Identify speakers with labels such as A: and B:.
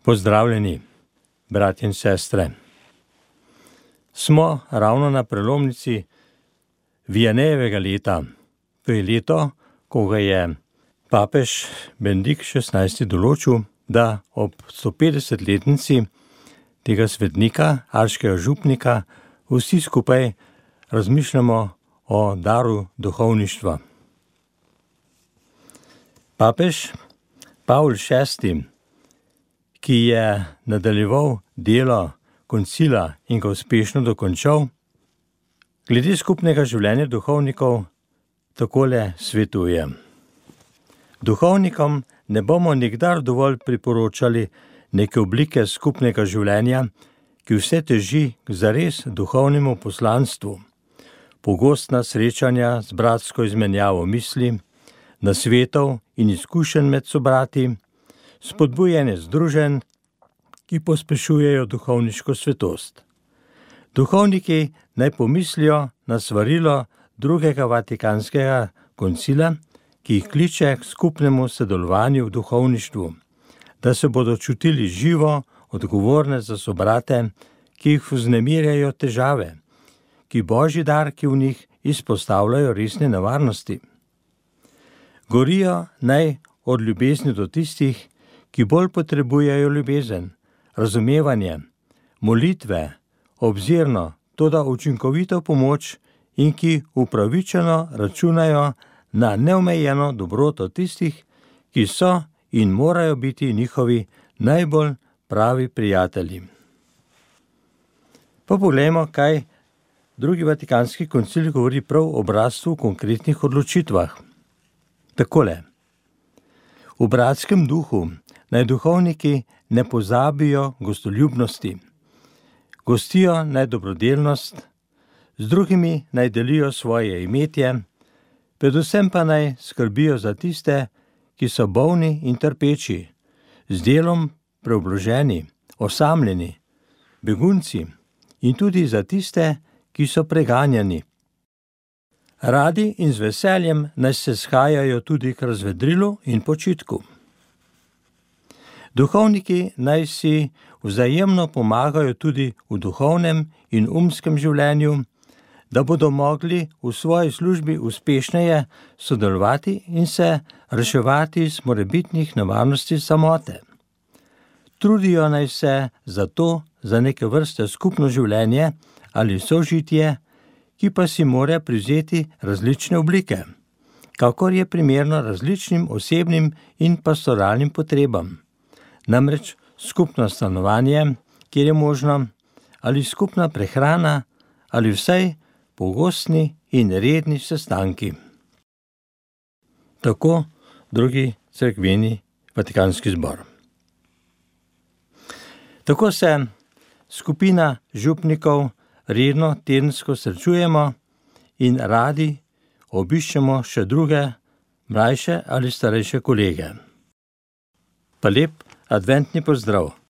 A: Pozdravljeni, bratje in sestre. Smo ravno na prelomnici Vianejevega leta. To je leto, ko ga je papež Benedikt XVI. Določil, da ob 150-letnici tega svetnika, aškega župnika, vsi skupaj razmišljamo o daru duhovništva. Papež Pavol VI., ki je nadaljeval delo koncila in ga uspešno dokončal, glede skupnega življenja duhovnikov takole svetuje. Duhovnikom ne bomo nikdar dovolj priporočali neke oblike skupnega življenja, ki vse teži k zares duhovnemu poslanstvu, pogostna srečanja z bratsko izmenjavo misli, nasvetov in izkušenj med sobrati, spodbujanje združenj, ki pospešujejo duhovniško svetost. Duhovniki naj pomislijo na svarilo drugega Vatikanskega koncila, ki jih kliče k skupnemu sodelovanju v duhovništvu, da se bodo čutili živo, odgovorne za sobrate, ki jih vznemirjajo težave, ki božji darki v njih izpostavljajo resne nevarnosti. Gorijo naj od ljubezni do tistih, ki bolj potrebujejo ljubezen, razumevanje, molitve, obzirno, toda učinkovito pomoč in ki upravičeno računajo na neomejeno dobroto tistih, ki so in morajo biti njihovi najbolj pravi prijatelji. Pa poglejmo, kaj drugi Vatikanski koncil govori prav o bratstvu v konkretnih odločitvah. Takole. V bratskem duhu naj duhovniki ne pozabijo gostoljubnosti, gostijo naj dobrodelnost, z drugimi naj delijo svoje imetje, predvsem pa naj skrbijo za tiste, ki so bolni in trpeči, z delom preobloženi, osamljeni, begunci in tudi za tiste, ki so preganjani. Radi in z veseljem naj se shajajo tudi k razvedrilu in počitku. Duhovniki naj si vzajemno pomagajo tudi v duhovnem in umskem življenju, da bodo mogli v svoji službi uspešneje sodelovati in se reševati iz morebitnih nevarnosti samote. Trudijo naj se za neke vrste skupno življenje ali sožitje, ki pa si mora privzeti različne oblike, kakor je primerno različnim osebnim in pastoralnim potrebam. Namreč skupno stanovanje, kjer je možno, ali skupna prehrana, ali vsaj pogostni in redni sestanki. Tako drugi cerkveni Vatikanski zbor. Tako se skupina župnikov redno tedensko srečujemo in radi obiščemo še druge, mlajše ali starejše kolege. Pa lep adventni pozdrav!